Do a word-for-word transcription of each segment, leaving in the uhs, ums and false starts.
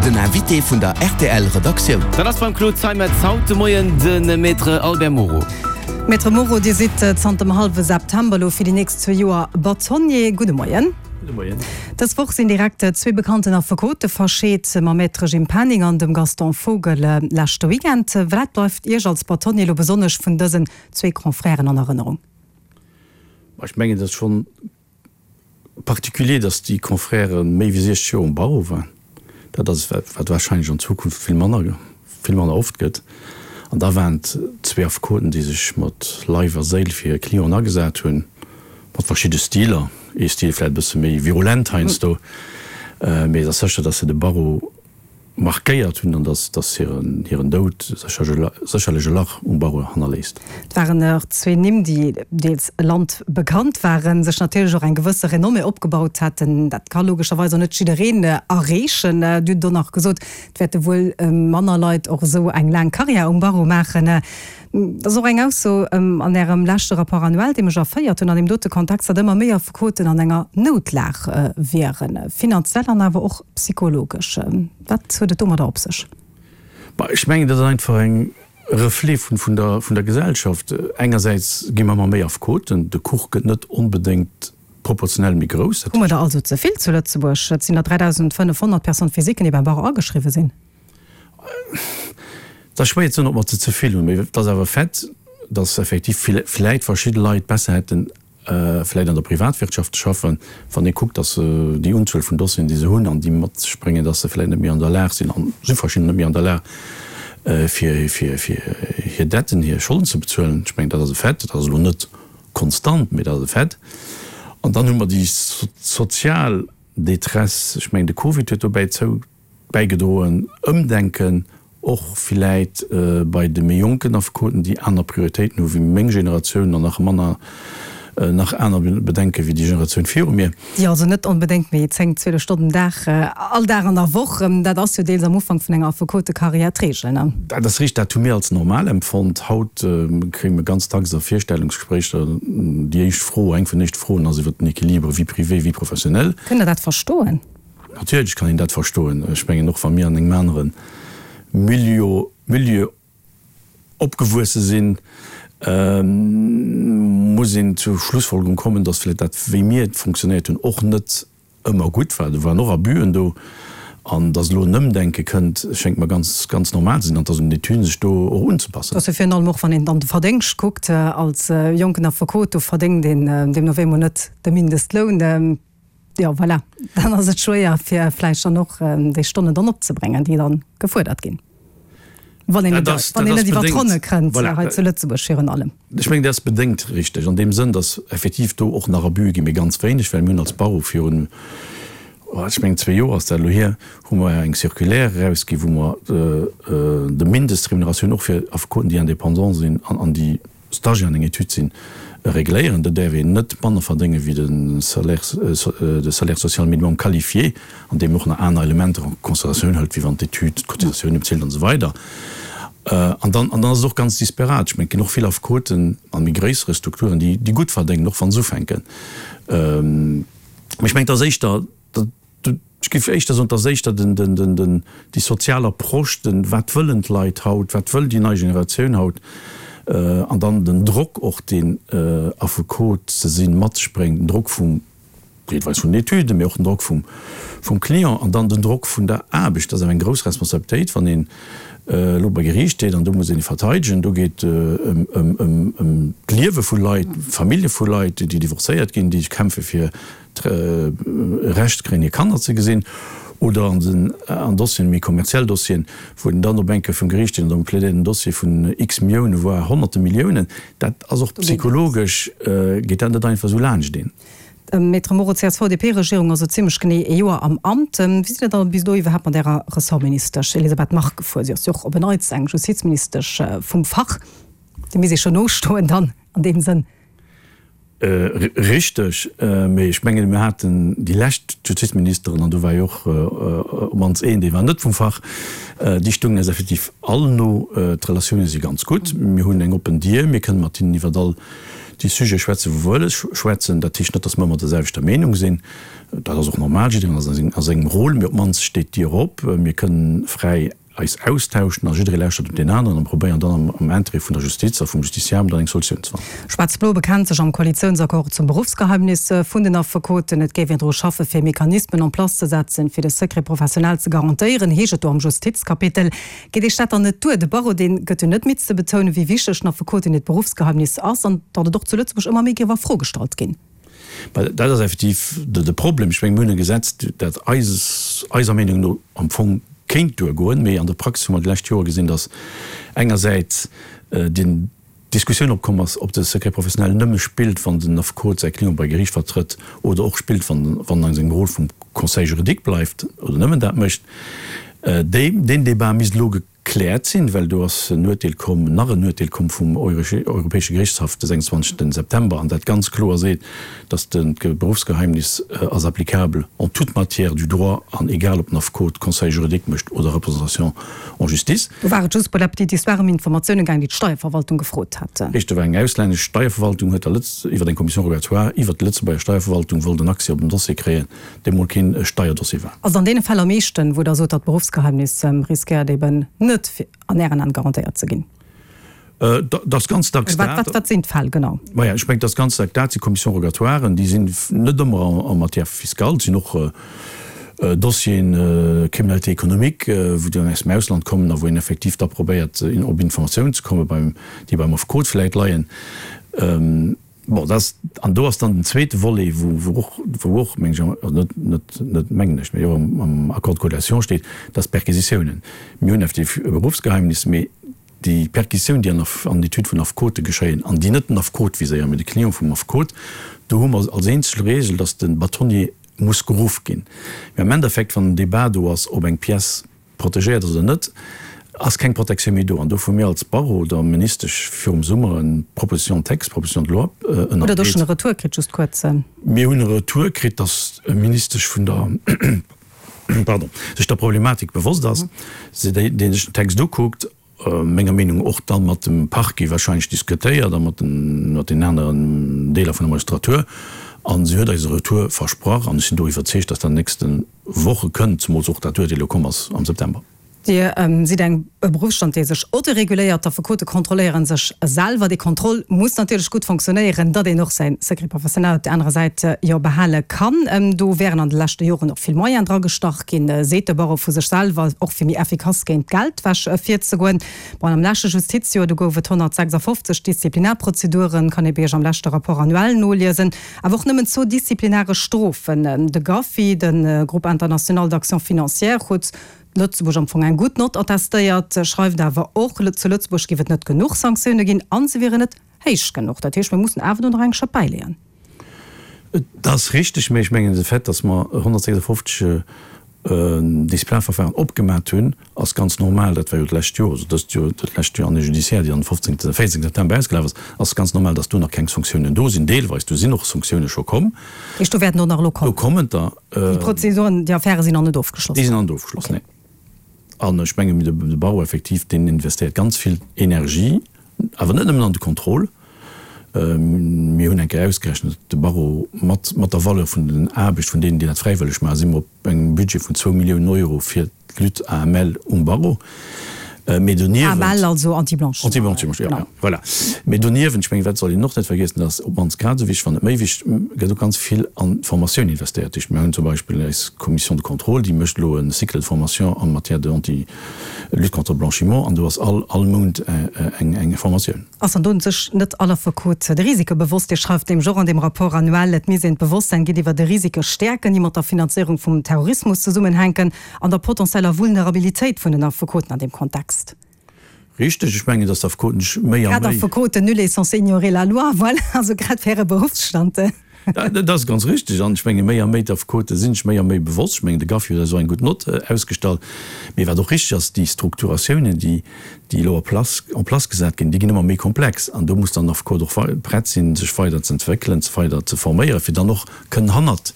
Den Invité vun der R T L Redaktioun. Dat ass beim Claude Zeimetz haut de Moien de Maître Albert Moro. Maître Moro, Dir sidd zanter dem hallwe September elo fir déi nächst zwee Joer Bâtonnier. Gudde Moien. Gudde Moien. Dës Woch sinn direkt zwee bekannten Affekote verscheet, mam Maître Jim Penning an dem Gaston Vogel leschte Weekend. Wat bleift Iech als Bâtonnier elo besonnesch vun dësen zwee Confrèren an Erënnerung? Ech mengen, dat ass schonn particulier, dass déi Confrèrë méi wéi siechzeg Joer um Barreau waren. Dat ass wat, wat warscheinlech an Zukunft vill manner, vill manner oft gëtt. An da waren et zwee Affekoten, déi sech mat Leif a Séil fir hir Clienten agesat hunn, mat verschidde Stiler, ee Stil vläicht e bësse méi virulent heiansdo, mee et ass sécher, dass se de Barreau markéiert hunn an dass, dass hiren, hiren Doud sécherlech e Lach um Barreau hannerléisst. Et waren och zwee Nimm, déi deels landbekannt waren, sech natierlech och eng gewësse Renommée opgebaut haten. Dat ka logescherweis och net jiddereen erreechen. Dir hutt och nach gesot, et wäerte wuel manner Leit och esou eng laang Karriär um Barreau maachen. Dat ass och eng Ausso an Ärem leschte Rapport annuel, dee mech erféiert hunn an deem dote Kontext, datt ëmmer méi Affekoten an enger Noutlag wieren, finanziell an awer och psychologesch. Wat huet et domadder op sech? Bah, ech mengen, dat ass einfach eng Reflet vun, vun der, vun der Gesellschaft. Engersäits gi mer ëmmer méi Affekoten, de Kuch gëtt net onbedéngt proportionell méi grouss. Hu mer der also ze vill zu Lëtzebuerg? Et sinn der dräidausendfënnefhonnert Personnes physiquen, déi beim Barreau ageschriwwe sinn. Et ass schwéier ze soen, ob mer ze ze vill hunn, mee et ass awer Fait, datt effektiv vläit verschidde Leit besser hätten, vläit an der Privatwirtschaft ze schaffen, wann ee kuckt, datt se déi Unzuel vun Dossieren, déi se hunn an déi mat sech bréngen, datt se vläit net méi an der Lag sinn, an si verschidden net méi an der Lag, fir fir fir hir Detten, hir Scholden ze bezuelen. Ech mengen, dat ass e Fait. Dat ass elo net konstant, mee dat ass e Fait. An dann hu mer déi sozial Détresse. Ech mengen, de Covid huet dobäi zou bäigedroen, Ëmdenken och villäit bei de méi jonken Affekoten, déi aner Prioritéiten hu wéi meng Generatioun an nach manner, nach aner Bedenke wéi déi Generatioun viru mir. Déi also net onbedéngt méi zéng, zwielef Stonnen den Dag, all Dag an der Woch, dat ass jo deels am Ufank vun enger Affekotekarriär d'Reegel, ne? Dat ass richteg, dat hu mir als normal empfonnt. Haut kréie mir ganz dacks a Virstellungsgespréicher déi éischt Fro, eng vun den éischte Froen ass iwwert den Equilibre vie privée, vie professionnelle. Kënnt Der dat verstoen? Natierlech kann een dat verstoen. Ech mengen, och wa mir an engem anere Milieu, Milieu opgewuesse sinn, muss een zur Schlussfolgerung kommen, dass vläicht dat, wéi mir funktionéiert hunn, och net ëmmer gutt war. Do waren och Abusen do. An dass elo en Ëmdenke kënnt, schéngt mer ganz, ganz normal ze sinn, an dass un den sech do och unzepassen. Dat ass jo virun allem och, wann een dann de Verdéngscht kuckt, als jonken Affekot, do verdéngt een deemno wéi emol net de Mindestloun. Jo, voilà, dann ass et schwéier, fir vläicht dann och déi Stonnen dann opzebréngen, déi dann gefuerdert ginn, wann een net, wann een net iwwer d'Ronne kënnt, hei zu Lëtzebuerg virun allem. Ech mengen, dat ass bedéngt richteg an deem Sënn, dass effektiv do och nach Abuse ginn, mee ganz wéineg, well mir hunn als Barreau virun, ech mengen zwee Joer ass dat elo hier, hu mer eng Circulaire erausginn, wou mer de Mindestremuneratioun och fir Affekoten, déi indépendant sinn an déi Stagiaire an enger Etüd sinn, regléieren. Do däerf een net manner verdénge wéi de Salaire, de Salaire social minimum qualifié, an deem och nach aner Elementer en considératioun hëlt, wéi wann d'Etüd, d'Cotisatioune bezilt an esou weider. An dann, an dann ass et och ganz disparat. Ech mengen, et ginn och vill Affekoten a méi gréissere Strukturen, déi, déi gutt verdéngen, och wa se ufänken. Mee ech mengen, et ass éischter, ech géif éischter soen, et ass éischter den, den, den, den, déi sozial Approche, den, wat wëllen d'Leit haut, wat wëll déi nei Generatioun haut, an dann den Drock och, deen Affekot ze sinn mat sech bréngt, den Drock vum, deelweis vun den Etüden, mee och den Drock vum, vum Client an dann den Drock vun der Aarbecht. Dat ass awer eng grouss Responsabilitéit, wann een elo bei Geriicht steet an do muss een verteidegen. Do geet ëm, ëm, ëm, ëm d'Liewe vu Leit, Famillje vu Leit, déi divorcéiert ginn, déi kämpfe fir d'Recht kréien, hir Kanner ze gesinn, oder an den an Dossieren, méi kommerziell Dossieren, wou een dann op eng Kéier vum Geriicht steet an da plädéiert en Dossier vun x Milliounen, voire honnerte Milliounen. Dat ass och psychologesch, geet dat net einfach esou laanscht een. Maître Moro, d'C S V-D P-Regierung ass elo zimlech genee ee Joer am Amt. Wéi sidd Der da bis elo iwwerhaapt mat Ärer Ressortministesch Elisabeth Margue gefuer? Si ass jo och op en Neits eng Justizministesch vum Fach. Déi misst ee scho nostoen dann an deem Sënn. Richteg, mee ech mengen, mir haten déi lescht Justizministeren, an do war jo och op d'mannst een, dee war net vum Fach, déi stungen eis effektiv all no. D'Relatioune si ganz gutt, mir hunn eng oppen Dier, mir kënnen mat hinnen iwwert all déi Sujete schwätzen, wou mer wëlle schwätzen. Dat heescht net, datt mer ëmmer der selwechter Meenung sinn. Dat ass och normal, jiddereen ass a sengem Rôle, mee op d'mannst steet d'Dier op, mir kënnen fräi eis austauschen a jidderee lauschtert op deen aneren a probéieren dann am Intérêt vun der Justiz a vum Justiciable dann eng Solutioun ze fannen. Schwaarz-Blo bekennt sech am Koalitiounsaccord zum Beruffsgeheimnis vun den Affekoten. Et géif een dru schaffen, fir Mechanismen en place ze setzen, fir de Secret professionnel ze garantéieren, heescht et do am Justizkapitel. Geet Iech dat dann net duer? De Barreau, dee gëtt jo net midd ze betounen, wéi wichteg den Affekoten hiert Beruffsgeheimnis ass an datt et och zu Lëtzebuerg ëmmer méi géif a Fro gestallt ginn. Well dat ass effektiv de Problem. Ech mengen, mir hunn e Gesetz, dat eis, eiser Meenung no am Fong kéint duergoen, mee an der Praxis hu mer déi lescht Jore gesinn, datt engersäits déi Diskussioun opkomm ass, ob de Secret professionnel nëmme spillt, wann den Affekot säi Client bei Geriicht vertrëtt, oder och spillt, wann en a sengem Rôle vum Conseil juridique bleift oder nëmmen dat mécht. Deen Débat misst elo gekläert sinn, well do ass en Uerteel komm, nach en Uerteel komm vum Europäesche Gerichtshaff de sechsundzwanzegsten September, an dat ganz kloer seet, dass de Berufsgeheimnis ass applicable en toute matière du droit an egal ob den Affekot Conseil juridique mécht oder Représentation en justice. Do war et just pour la petite histoire ëm Informatiounen gaang, déi d'Steierverwaltung gefrot hat. Richteg, do war eng auslännesch Steierverwaltung, huet der Lëtz, iwwer eng Commission rogatoire iwwert d'Lëtzebuerger Steierverwaltung wollt en Accès op en Dossier kréien, dee mol keen Steierdossier war. Ass an deene Fäll am meeschten, wou Der sot, datt d'Beruffsgeheimnis riskéiert eben net an Ären An garantéiert ze ginn? Dat ass ganz dacks dat. Wat sinn d'Fäll genau? Maja, ech mengen, dat ass ganz dacks dat si Commissions rogatoiren, déi sinn net ëmmer en matière fiscale, et sinn och Dossieren Criminalité économique, wou déi aus dem Ausland kommen a wou een effektiv da probéiert, op Informatiounen ze kommen, déi beim Affekot vläicht leien. Bon, dat ass, an do ass dann den zweete Volet, wou, wou och, wou och, meng ech, also net, net, net mengen ech, mee och am, am Accord de coalition steet, dat ass d'Perquisitiounen. Mir hunn effektiv e Berufsgeheimnis, mee déi Perquisitiounen, déi an der, an Etüd vun Affekote geschéien an déi net den Affekot viséieren, mee de Client vum Affekot, do hu mer als eenzeg Regel, dass de Bâtonnier muss geruff ginn. Mee am Endeffekt, wann en Débat do ass, ob eng Pièce protegéiert ass oder net, ass keng Protektioun méi do. An dofir hu mir als Barreau der Ministesch virum Summer eng Proposition de texte, Proposition de loi ënnerbreet. Hutt Der do schonn e Retour kritt, just kuerz? Mir hunn e Retour kritt, dass d'Ministesch vun der, pardon, sech der Problematik bewosst ass, si déi sech den Text ukuckt, menger Meenung och da mat dem Parquet wahrscheinlech diskutéiert a mat den aneren Deeler vun der Magistratur. A si huet eis e Retour versprach an ech sinn do iwwerzeegt, dass dat an den nächste Woche kënnt, zemools och dat Uerteel elo komm ass am September. Dir sidd eng e Beruffsstand, dee sech autoreguléiert. D'Affekote kontrolléiere sech selwer. Dee Contrôle muss natierlech gutt fonctionnéieren, datt een och säi Secret professionnel op där anerer Säit jo behale kann. Do wären an de leschte Joren och vill Moyen dragestach ginn, seet de Barreau vu sech selwer, och fir méi effikass géint d'Geldwäsch virzegoen. Bon, am leschte Justizjoer, do gouf et honnertsechsafofzeg Disziplinarprozeduren, kann ee bei Iech am leschte Rapport annuel noliesen, awer och nëmmen zwou disziplinaresch Strofen. De GAFI, de Groupe international d'action financière, huet Lëtzebuerg am Fong eng gutt Nott attestéiert, schreift awer och, zu Lëtzebuerg géif et net genuch Sanktioune ginn a se wieren net héich genuch. Dat heescht, mir mussen awer do nach eng Schëpp bäileeën. Dat ass richteg, mä ech mengen, de Fait, datt mer honnertsechsafofzeg Disziplinarverfahren opgemat hunn, ass ganz normal. Dat war jo d'lescht Joer, also dëst Joer, dat lescht Joer, Année judiciaire, déi am fofzéngten, véierzéngten September ausgelaf ass, ass ganz normal, datt do nach keng Sanktiounen do sinn. Deelweis, do sinn och Sanktioune scho komm. Heescht, do wäerten och nach elo kommen? Do kommen der. Déi Prozeduren, déi Affäre sinn nach net ofgeschloss? Déi sinn nach net ofgeschloss, nee. An ech menge de Barreau effektiv, deen investéiert ganz vill Energie, awer net nëmmen an de Contrôle. Mir hunn eng Kéier ausgerechent, de Barreau mat mat der Valeur vun den Aarbecht vun deenen, déi dat fräiwëlleg maachen, si mer op engem Budget vun zwou Milliounen Euro fir d'Lutte A M L um Barreau. Mee doniewent. A M L, also Anti-Blanchiment. Anti-Blanchiment, jo, jo, voilà. Mee doniewent, ech mengen, dat soll een och net vergiessen, dat ass op d'mannst grad esou wichteg, wann net méi wichteg, gëtt och ganz vill an d'Formatioun investéiert. Dat heescht, mir hunn zum Beispill eis Commission de contrôle, déi mécht elo e Cycle de formation en matière de anti, lutte contre le blanchiment, an do ass all, all Mount eng, eng Formatioun. Ass an do sech net all Affekot de Risike bewosst? Dir schreift nämlech och an deem Rapport annuel, et misst een d'Bewosstsäin géintiwwer de Risike stäerken, déi mat der Finanzéierung vum Terrorismus zesummenhänken, an der potentieller Vulnerabilitéit vun den Affekoten an deem Kontext. Richteg, ech mengen, datt d'Affekoten sech méi a méi. Grad Affekoten, nul est censé ignorer la loi, voilà, also grad fir hire Beruffsstand. Dat ass ganz richteg. An ech menge méi a méi d'Affekote sinn sech méi a méi bewosst. Ech mengen, de GAFI huet eis och eng gutt Nott ausgestallt. Mee wat och richteg ass, déi Strukturatiounen, déi déi elo en place, en place gesat ginn, déi ginn ëmmer méi komplex. An do muss dann den Affekot och prett sinn, sech weider ze entwéckelen, sech weider ze forméieren, fir dann och kënnen hannert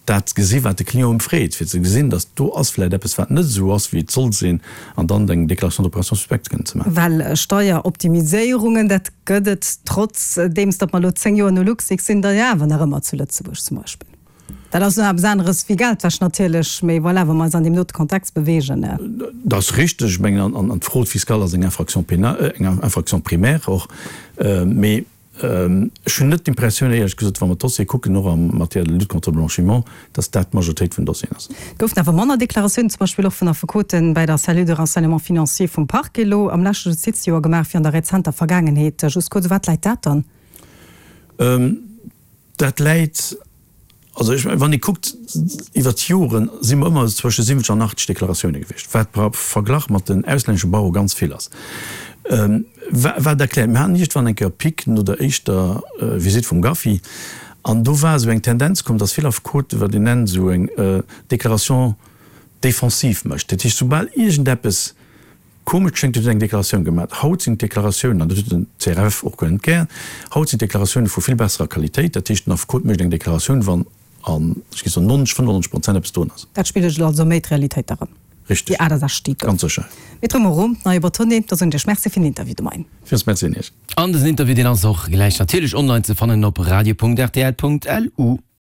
dat gesi wat de Client em freet, fir ze gesinn, datt do ass vläicht eppes wat net esou ass wéi et soll sinn, an dann eng Déclaration d'opération suspecte kënnen ze maachen. Well Steieroptimiséierungen, dat gëtt et, trotzdeems datt mer elo zéng Joer no LuxLeaks sinn, der jo awer nach ëmmer zu Lëtzebuerg zum Beispill. Dat ass nach eppes aneres wéi Geldwäsch natierlech, mee voilà, wa mer eis an deem dote Kontext beweegen. Dat ass richteg. Ech mengen, an d'Fraude fiscale ass eng Infraction pénale, eng Infraction primaire och, mee Ech hunn net d'Impressioun, éierlech gesot, wa mer d'Dossiere kucken, och en matière de lutte contre le blanchiment, dass dat d'Majoritéit vun den Dossieren ass. Et goufen awer manner Deklaratiounen, zum Beispill och vun Affekoten, bäi der Cellule de renseignement financier vum Parquet elo am leschte Justizjoer gemaach wéi an der rezenter Vergaangenheet. Just kuerz, u wat läit dat dann? Dat läit Also ech mengen, wann ee kuckt, iwwert d'Joren si mer ëmmer zwësche siwwenzeg an achtzeg Deklaratioune gewiescht, wat par Verglach mat den auslännesche Barreau ganz vill ass. Wat erkläert, mir haten iergendwann eng Kéier e Pic no der éischter Visitt vum GAFI an do war esou eng Tendenz komm, datt vill Affekoten, wat een nennt esou eng Déclaration défensive mécht. Dat heescht, soubal iergendeppes komesch schéngt, huet en eng Deklaratioun gemaach. Haut sinn d'Deklaratiounen, an dat huet den C R F och guer net gär, haut sinn d'Deklaratiounen vu vill besserer Qualitéit. Dat heescht, den Affekot mécht eng Deklaratioun, wann an, ech géif soen, neunzeg, fënnefannonzeg Prozent eppes drun ass. Dat spigelt also méi d'Realitéit erëm, Richtig. déi aachtundsechzeg gouf. Ganz sécher. Maître Moreau, neie Bâtonnier, da soen ech Iech Merci fir den Interview de Moien. Villmools Merci un Iech. An dësen Interview, deen ass och gläich natierlech online ze fannen op radio punkt rtl punkt lu.